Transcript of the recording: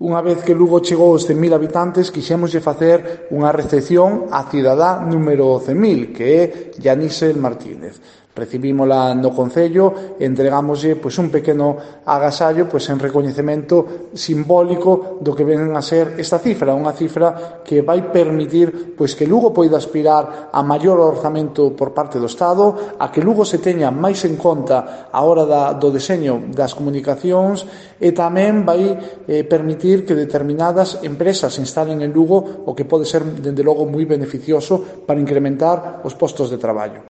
Unha vez que Lugo chegou aos 100.000 habitantes, quixémoslle facer unha recepción á cidadá número 100.000, que é Yanisel Martínez. Recibímola no Concello e entregámoslle un pequeno agasallo en recoñecemento simbólico do que ven a ser esta cifra, unha cifra que vai permitir que Lugo poida aspirar a maior orzamento por parte do Estado, a que Lugo se teña máis en conta a hora do deseño das comunicacións e tamén vai permitir que determinadas empresas se instalen en Lugo, o que pode ser, dende logo, moi beneficioso para incrementar os postos de traballo.